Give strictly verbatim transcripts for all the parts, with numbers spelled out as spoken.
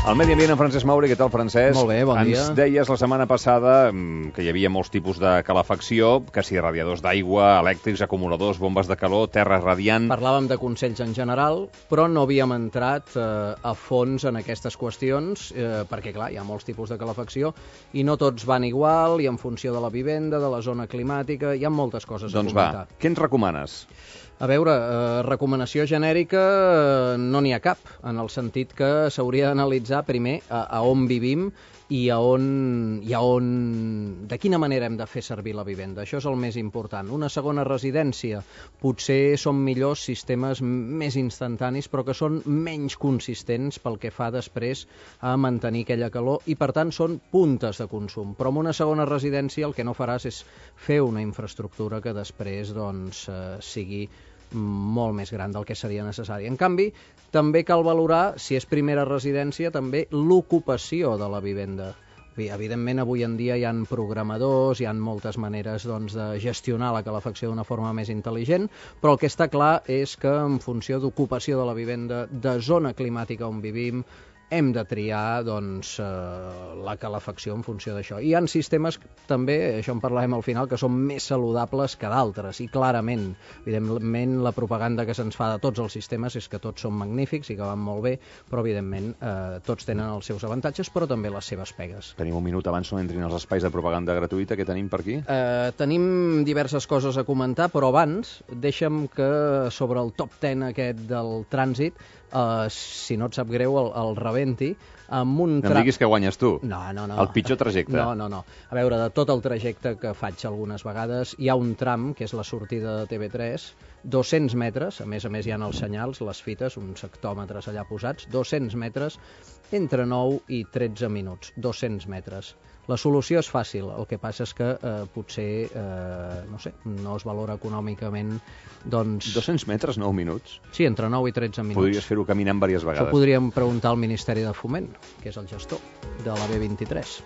El Medi Ambient en Francesc Mauri. Què tal, Francesc? Molt bé, bon dia. Ens deies la setmana passada que hi havia molts tipus de calefacció, que si radiadors d'aigua, elèctrics, acumuladors, bombes de calor, terra radiant... Parlàvem de consells en general, però no havíem entrat eh, a fons en aquestes qüestions, eh, perquè, clar, hi ha molts tipus de calefacció i no tots van igual, i en funció de la vivenda, de la zona climàtica, hi ha moltes coses doncs a comentar. Doncs va, què ens recomanes? A veure, eh, recomanació genèrica eh, no n'hi ha cap, en el sentit que s'hauria d'analitzar primer a, a on vivim i a on, i a on, de quina manera hem de fer servir la vivenda. Això és el més important. Una segona residència, potser són millors sistemes més instantanis, però que són menys consistents pel que fa després a mantenir aquella calor i, per tant, són puntes de consum. Però en una segona residència el que no faràs és fer una infraestructura que després doncs, eh, sigui molt més gran del que seria necessari. En canvi, també cal valorar, si és primera residència, també l'ocupació de la vivenda. Evidentment, avui en dia hi ha programadors, hi ha moltes maneres doncs, de gestionar la calefacció d'una forma més intel·ligent, però el que està clar és que en funció d'ocupació de la vivenda, de zona climàtica on vivim, hem de triar doncs, eh, la calefacció en funció d'això. Hi ha sistemes també, això en parlarem al final, que són més saludables que d'altres, i clarament, evidentment, la propaganda que se'ns fa de tots els sistemes és que tots són magnífics i que van molt bé, però evidentment eh, tots tenen els seus avantatges, però també les seves pegues. Tenim un minut abans no entrin els espais de propaganda gratuïta. Què tenim per aquí? Eh, tenim diverses coses a comentar, però abans deixa'm que sobre el top deu aquest del trànsit, Uh, si no et sap greu, el, el rebenti amb un tram... No em diguis que guanyes tu. No, no, no. El pitjor trajecte. No, no, no. A veure, de tot el trajecte que faig algunes vegades, hi ha un tram, que és la sortida de T V tres, dos-cents metres, a més a més hi ha els senyals, les fites, uns hectòmetres allà posats, dos-cents metres, entre nou i tretze minuts, dos-cents metres. La solució és fàcil, el que passa és que eh, potser, eh, no sé, no es valora econòmicament, doncs... dos-cents metres, nou minuts? Sí, entre nou i tretze minuts. Podries fer-ho caminant diverses vegades. Això podríem preguntar al Ministeri de Foment, que és el gestor de la B vint-i-tres.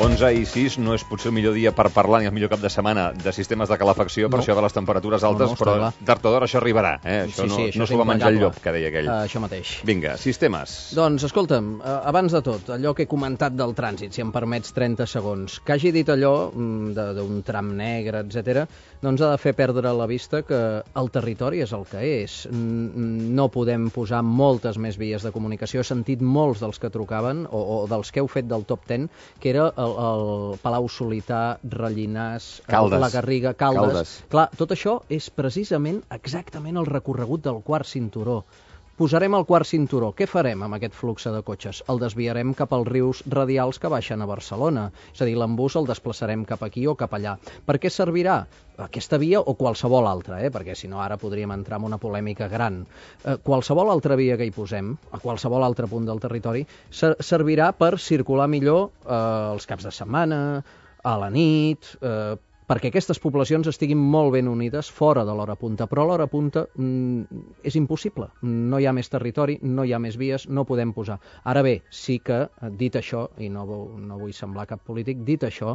onze i sis no és potser el millor dia per parlar ni el millor cap de setmana de sistemes de calefacció, per no. això de les temperatures altes, no, no, però tard o d'hora això arribarà. Eh? Això sí, no, sí, això no s'ho va menjar el llop, que deia aquell. Uh, això mateix. Vinga, sistemes. Doncs, escolta'm, uh, abans de tot, allò que he comentat del trànsit, si em permets trenta segons, que hagi dit allò d'un tram negre, etcètera, doncs ha de fer perdre la vista que el territori és el que és. No podem posar moltes més vies de comunicació. He sentit molts dels que trucaven, o, o dels que heu fet del top deu, que era el, el Palau Solità, Rellinars, Caldes. la Garriga, Caldes. Caldes. Clar, tot això és precisament exactament el recorregut del quart cinturó. Posarem el quart cinturó. Què farem amb aquest flux de cotxes? El desviarem cap als rius radials que baixen a Barcelona. És a dir, l'embús el desplaçarem cap aquí o cap allà. Per què servirà? Aquesta via o qualsevol altra, eh? Perquè si no ara podríem entrar en una polèmica gran. Eh, qualsevol altra via que hi posem, a qualsevol altre punt del territori, ser servirà per circular millor eh, els caps de setmana, a la nit, eh, perquè aquestes poblacions estiguin molt ben unides fora de l'hora punta, però a l'hora punta mm, és impossible. No hi ha més territori, no hi ha més vies, no podem posar. Ara bé, sí que, dit això, i no, no vull semblar cap polític, dit això,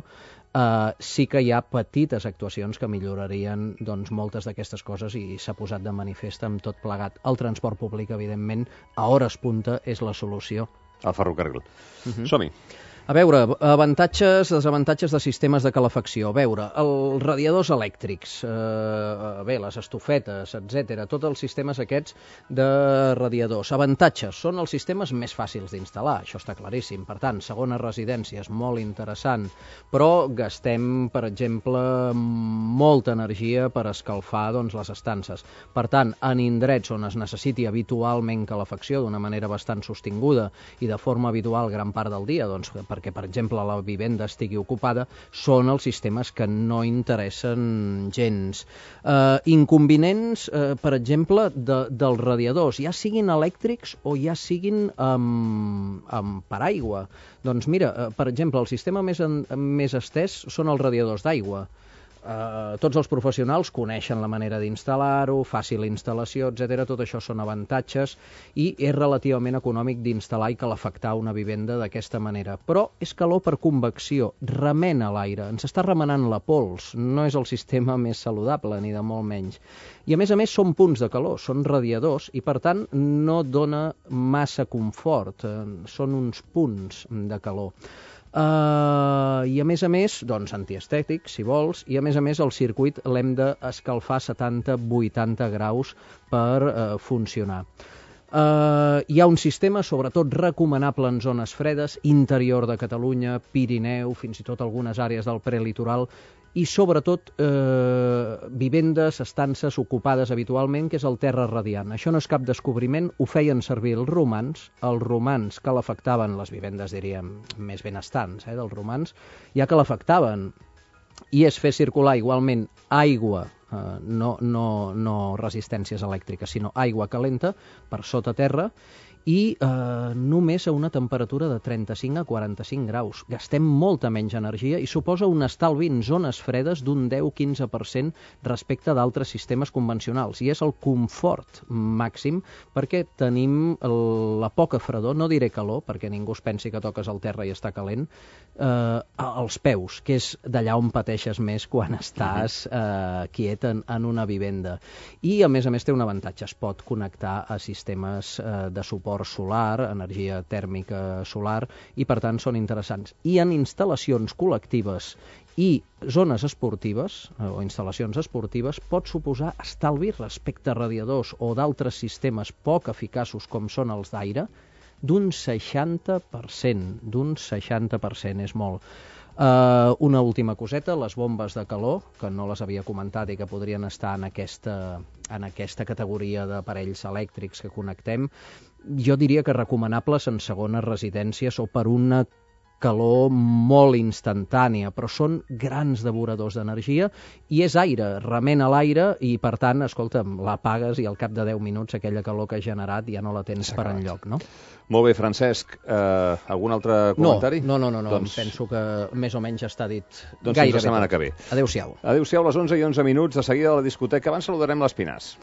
eh, sí que hi ha petites actuacions que millorarien doncs, moltes d'aquestes coses i s'ha posat de manifest amb tot plegat. El transport públic, evidentment, a hores punta és la solució. El ferrocarril. Uh-huh. Som-hi. A veure, avantatges, desavantatges de sistemes de calefacció. A veure, els radiadors elèctrics, eh, bé, les estufetes, etcètera, tots els sistemes aquests de radiadors. Avantatges, són els sistemes més fàcils d'instal·lar, això està claríssim. Per tant, segona residència és molt interessant, però gastem, per exemple, molta energia per escalfar doncs, les estances. Per tant, en indrets on es necessiti habitualment calefacció d'una manera bastant sostinguda i de forma habitual gran part del dia, doncs, per perquè, per exemple, la vivenda estigui ocupada, són els sistemes que no interessen gens. Eh, inconvenients, eh, per exemple, de, dels radiadors, ja siguin elèctrics o ja siguin amb, amb paraigua. Doncs mira, eh, per exemple, el sistema més, en, més estès són els radiadors d'aigua. eh, tots els professionals coneixen la manera d'instal·lar-ho, fàcil instal·lació, etcètera. Tot això són avantatges i és relativament econòmic d'instal·lar i calefactar una vivenda d'aquesta manera. Però és calor per convecció, remena l'aire, ens està remenant la pols, no és el sistema més saludable, ni de molt menys. I a més a més són punts de calor, són radiadors i per tant no dona massa confort, eh, són uns punts de calor. Uh, I a més a més, doncs antiestètic, si vols, i a més a més el circuit l'hem d'escalfar a setanta a vuitanta graus per uh, funcionar. Uh, hi ha un sistema, sobretot recomanable en zones fredes, interior de Catalunya, Pirineu, fins i tot algunes àrees del prelitoral, i sobretot eh, vivendes, estances ocupades habitualment, que és el terra radiant. Això no és cap descobriment, ho feien servir els romans, els romans calefactaven les vivendes, diríem, més benestants, eh, dels romans, ja calefactaven, i és fer circular igualment aigua, eh, no, no, no resistències elèctriques, sinó aigua calenta per sota terra, i eh, només a una temperatura de trenta-cinc a quaranta-cinc graus. Gastem molta menys energia i suposa un estalvi en zones fredes d'un deu a quinze per cent respecte d'altres sistemes convencionals. I és el confort màxim perquè tenim el, la poca fredor, no diré calor, perquè ningú es pensi que toques al terra i està calent, eh, als peus, que és d'allà on pateixes més quan estàs eh, quiet en, en una vivenda. I a més a més té un avantatge, es pot connectar a sistemes eh, de suport solar, energia tèrmica solar, i per tant són interessants. I en instal·lacions col·lectives i zones esportives, o instal·lacions esportives, pot suposar estalvi respecte a radiadors o d'altres sistemes poc eficaços com són els d'aire, d'un seixanta per cent, d'un seixanta per cent, és molt. Uh, una última coseta, les bombes de calor, que no les havia comentat i que podrien estar en aquesta, en aquesta categoria d'aparells elèctrics que connectem, jo diria que recomanables en segones residències o per una calor molt instantània, però són grans devoradors d'energia i és aire, remena l'aire i per tant, escolta'm, l'apagues i al cap de deu minuts aquella calor que has generat ja no la tens per enlloc, no? Molt bé, Francesc. Uh, algun altre comentari? No, no, no, no. Doncs... penso que més o menys està dit doncs gairebé fins la setmana tot. que ve. Adéu-siau. Adéu-siau, a les onze i onze minuts, de seguida a la discoteca. Abans saludarem l'Espinàs.